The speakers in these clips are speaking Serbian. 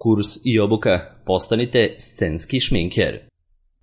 Kurs i obuka Postanite scenski šminker.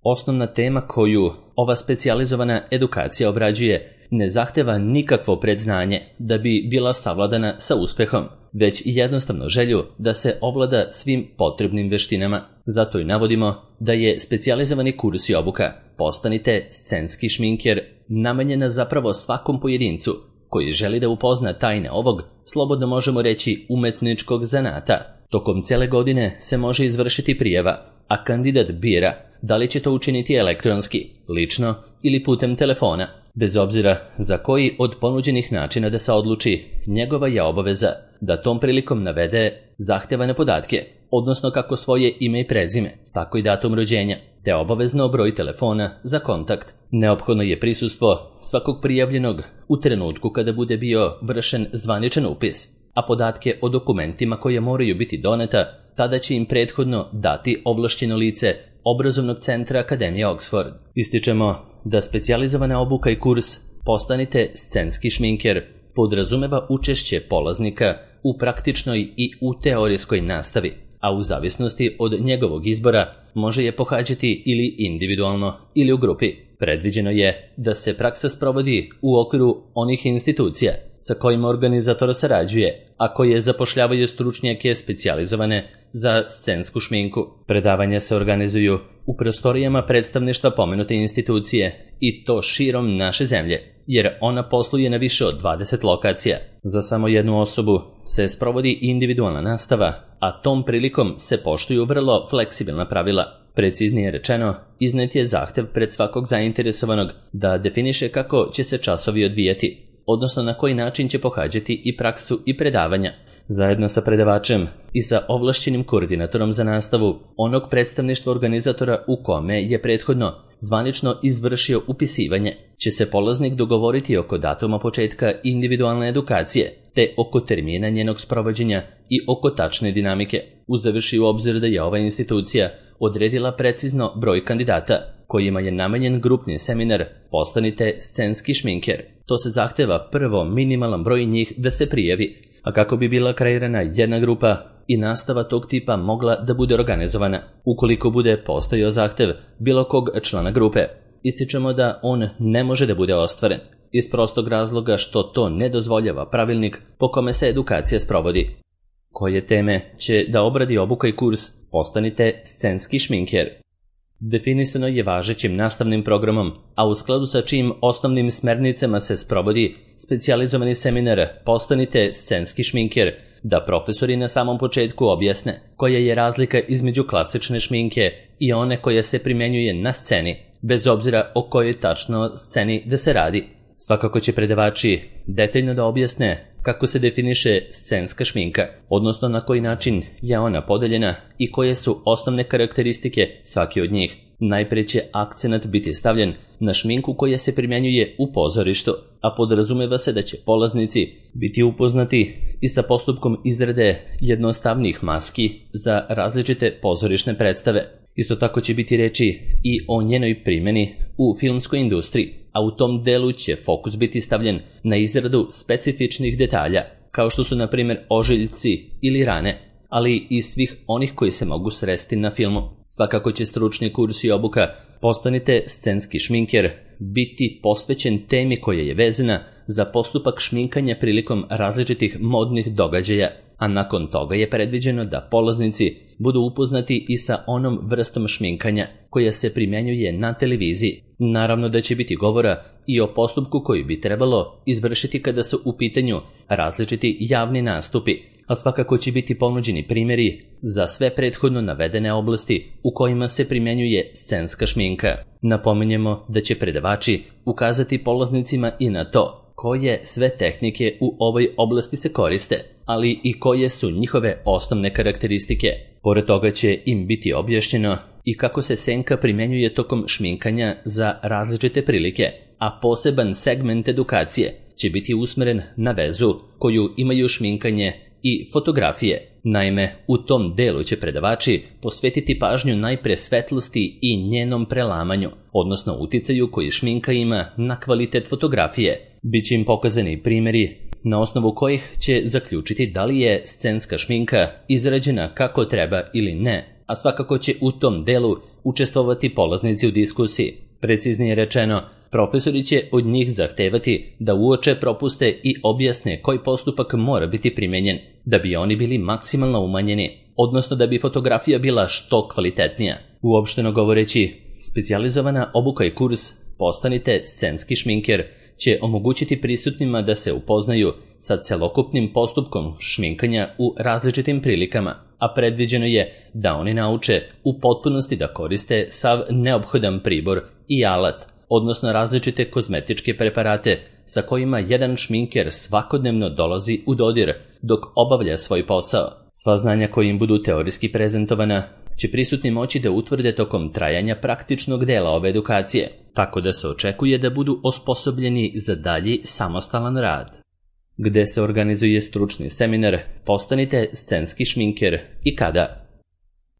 Osnovna tema koju ova specijalizovana edukacija obrađuje ne zahteva nikakvo predznanje da bi bila savladana sa uspehom, već jednostavno želju da se ovlada svim potrebnim veštinama. Zato i navodimo da je specijalizovani kurs i obuka Postanite scenski šminker namenjena zapravo svakom pojedincu koji želi da upozna tajne ovog, slobodno možemo reći, umetničkog zanata. Tokom cele godine se može izvršiti prijava, a kandidat bira da li će to učiniti elektronski, lično ili putem telefona. Bez obzira za koji od ponuđenih načina da se odluči, njegova je obaveza da tom prilikom navede zahtevane podatke, odnosno kako svoje ime i prezime, tako i datum rođenja, te obavezno broj telefona za kontakt. Neophodno je prisustvo svakog prijavljenog u trenutku kada bude bio vršen zvaničan upis, a podatke o dokumentima koje moraju biti doneta tada će im prethodno dati ovlašćeno lice obrazovnog centra Akademije Oxford. Ističemo da specijalizovana obuka i kurs Postanite scenski šminker podrazumeva učešće polaznika u praktičnoj i u teorijskoj nastavi, a u zavisnosti od njegovog izbora može je pohađati ili individualno ili u grupi. Predviđeno je da se praksa sprovodi u okviru onih institucija sa kojima organizator sarađuje, a koje zapošljavaju stručnjake specijalizovane za scensku šminku. Predavanja se organizuju u prostorijama predstavništva pomenute institucije i to širom naše zemlje, jer ona posluje na više od 20 lokacija. Za samo jednu osobu se sprovodi individualna nastava, a tom prilikom se poštuju vrlo fleksibilna pravila. Preciznije rečeno, iznet je zahtev pred svakog zainteresovanog da definiše kako će se časovi odvijati, odnosno na koji način će pohađati i praksu i predavanja, zajedno sa predavačem i sa ovlašćenim koordinatorom za nastavu onog predstavništva organizatora u kome je prethodno zvanično izvršio upisivanje, će se polaznik dogovoriti oko datuma početka individualne edukacije, te oko termina njenog sprovođenja i oko tačne dinamike, uzevši u obzir da je ova institucija odredila precizno broj kandidata kojima je namenjen grupni seminar Postanite scenski šminker. To se zahteva prvo minimalan broj njih da se prijavi, a kako bi bila kreirana jedna grupa i nastava tog tipa mogla da bude organizovana, ukoliko bude postojao zahtev bilo kog člana grupe, ističemo da on ne može da bude ostvaren, iz prostog razloga što to ne dozvoljava pravilnik po kome se edukacija sprovodi. Koje teme će da obradi obuka i kurs Postanite scenski šminker? Definisano je važećim nastavnim programom, a u skladu sa čijim osnovnim smernicama se sprovodi specijalizovani seminar Postanite scenski šminker, da profesori na samom početku objasne koja je razlika između klasične šminke i one koja se primjenjuje na sceni, bez obzira o kojoj tačno sceni da se radi. Svakako će predavači detaljno da objasne kako se definiše scenska šminka, odnosno na koji način je ona podeljena i koje su osnovne karakteristike svake od njih. Najpre će akcenat biti stavljen na šminku koja se primjenjuje u pozorištu, a podrazumeva se da će polaznici biti upoznati i sa postupkom izrade jednostavnih maski za različite pozorišne predstave. Isto tako će biti reči i o njenoj primjeni u filmskoj industriji, a u tom delu će fokus biti stavljen na izradu specifičnih detalja, kao što su na primjer ožiljci ili rane, ali i svih onih koji se mogu sresti na filmu. Svakako će stručni kurs i obuka Postanite scenski šminker biti posvećen temi koja je vezana za postupak šminkanja prilikom različitih modnih događaja, a nakon toga je predviđeno da polaznici budu upoznati i sa onom vrstom šminkanja koja se primjenjuje na televiziji. Naravno da će biti govora i o postupku koji bi trebalo izvršiti kada su u pitanju različiti javni nastupi, a svakako će biti ponuđeni primjeri za sve prethodno navedene oblasti u kojima se primjenjuje scenska šminka. Napominjemo da će predavači ukazati polaznicima i na to koje sve tehnike u ovoj oblasti se koriste, ali i koje su njihove osnovne karakteristike. Pored toga će im biti objašnjeno i kako se senka primjenjuje tokom šminkanja za različite prilike, a poseban segment edukacije će biti usmeren na vezu koju imaju šminkanje i fotografije. Naime, u tom delu će predavači posvetiti pažnju najpre svetlosti i njenom prelamanju, odnosno uticaju koji šminka ima na kvalitet fotografije. Biće im pokazani primjeri na osnovu kojih će zaključiti da li je scenska šminka izrađena kako treba ili ne, a svakako će u tom delu učestvovati polaznici u diskusiji. Preciznije rečeno, profesori će od njih zahtevati da uoče propuste i objasne koji postupak mora biti primenjen, da bi oni bili maksimalno umanjeni, odnosno da bi fotografija bila što kvalitetnija. Uopšteno govoreći, specijalizovana obuka i kurs Postanite scenski šminker će omogućiti prisutnima da se upoznaju sa celokupnim postupkom šminkanja u različitim prilikama, a predviđeno je da oni nauče u potpunosti da koriste sav neophodan pribor i alat, odnosno različite kozmetičke preparate sa kojima jedan šminker svakodnevno dolazi u dodir dok obavlja svoj posao. Sva znanja koja im budu teorijski prezentovana će prisutni moći da utvrde tokom trajanja praktičnog dela ove edukacije, tako da se očekuje da budu osposobljeni za dalji samostalan rad. Gde se organizuje stručni seminar Postanite scenski šminker i kada?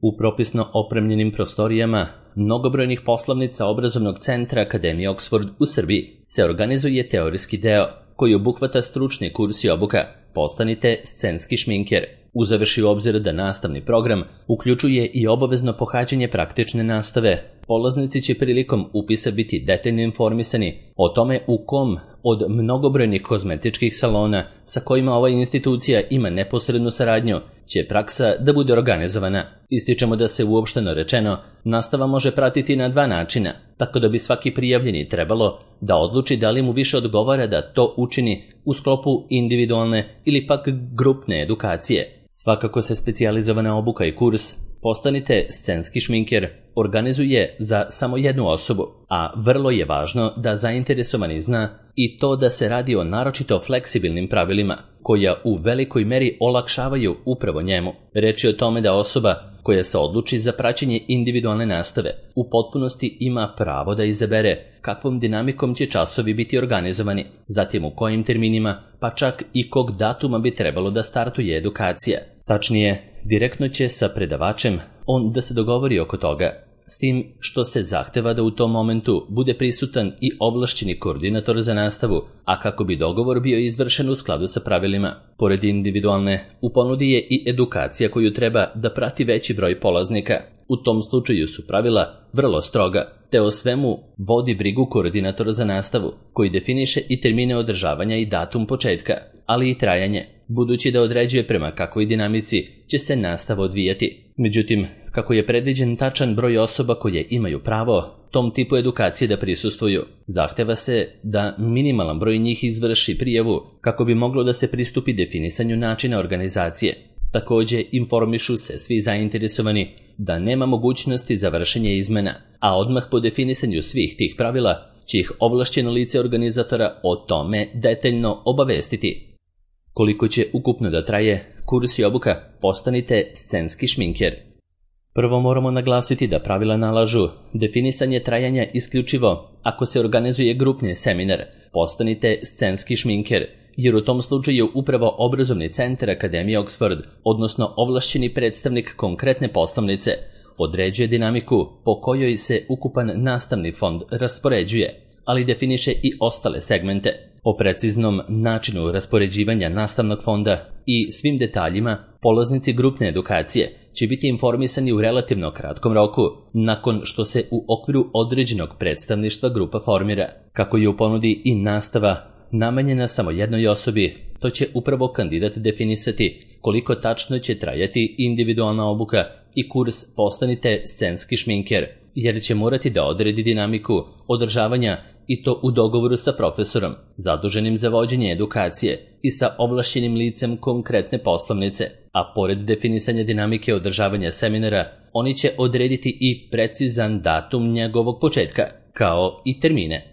U propisno opremljenim prostorijama mnogobrojnih poslovnica obrazovnog centra Akademije Oxford u Srbiji se organizuje teorijski deo koji obuhvata stručni kurs i obuka Postanite scenski šminker. Uzevši u obzir da nastavni program uključuje i obavezno pohađanje praktične nastave, polaznici će prilikom upisa biti detaljno informisani o tome u kom od mnogobrojnih kozmetičkih salona sa kojima ova institucija ima neposrednu saradnju će praksa da bude organizovana. Ističemo da se uopšteno rečeno nastava može pratiti na dva načina, tako da bi svaki prijavljeni trebalo da odluči da li mu više odgovara da to učini u sklopu individualne ili pak grupne edukacije. Svakako se specijalizovana obuka i kurs Postanite scenski šminker organizuje za samo jednu osobu, a vrlo je važno da zainteresovani zna i to da se radi o naročito fleksibilnim pravilima, koja u velikoj meri olakšavaju upravo njemu. Reč je o tome da osoba koja se odluči za praćenje individualne nastave u potpunosti ima pravo da izabere kakvom dinamikom će časovi biti organizovani, zatim u kojim terminima, pa čak i kog datuma bi trebalo da startuje edukacija. Tačnije, direktno će sa predavačem on da se dogovori oko toga, s tim što se zahteva da u tom momentu bude prisutan i ovlašćeni koordinator za nastavu, a kako bi dogovor bio izvršen u skladu sa pravilima. Pored individualne, u ponudi je i edukacija koju treba da prati veći broj polaznika. U tom slučaju su pravila vrlo stroga, te o svemu vodi brigu koordinator za nastavu, koji definiše i termine održavanja i datum početka, ali i trajanje, budući da određuje prema kakvoj dinamici će se nastava odvijati. Međutim, kako je predviđen tačan broj osoba koje imaju pravo tom tipu edukacije da prisustvuju, zahteva se da minimalan broj njih izvrši prijavu kako bi moglo da se pristupi definisanju načina organizacije. Također informišu se svi zainteresovani da nema mogućnosti za vršenje izmena, a odmah po definisanju svih tih pravila će ih ovlašćeno lice organizatora o tome detaljno obavestiti. Koliko će ukupno da traje kurs i obuka Postanite scenski šminker? Prvo moramo naglasiti da pravila nalažu definisanje trajanja isključivo ako se organizuje grupni seminar Postanite scenski šminker, jer u tom slučaju upravo obrazovni centar Akademije Oxford, odnosno ovlašćeni predstavnik konkretne poslovnice, određuje dinamiku po kojoj se ukupan nastavni fond raspoređuje, ali definiše i ostale segmente. O preciznom načinu raspoređivanja nastavnog fonda i svim detaljima polaznici grupne edukacije će biti informisani u relativno kratkom roku nakon što se u okviru određenog predstavništva grupa formira. Kako je u ponudi i nastava namenjena samo jednoj osobi, to će upravo kandidat definisati koliko tačno će trajati individualna obuka i kurs Postanite scenski šminker, jer će morati da odredi dinamiku održavanja i to u dogovoru sa profesorom, zaduženim za vođenje edukacije i sa ovlašćenim licem konkretne poslovnice, a pored definisanja dinamike održavanja seminara, oni će odrediti i precizan datum njegovog početka, kao i termine.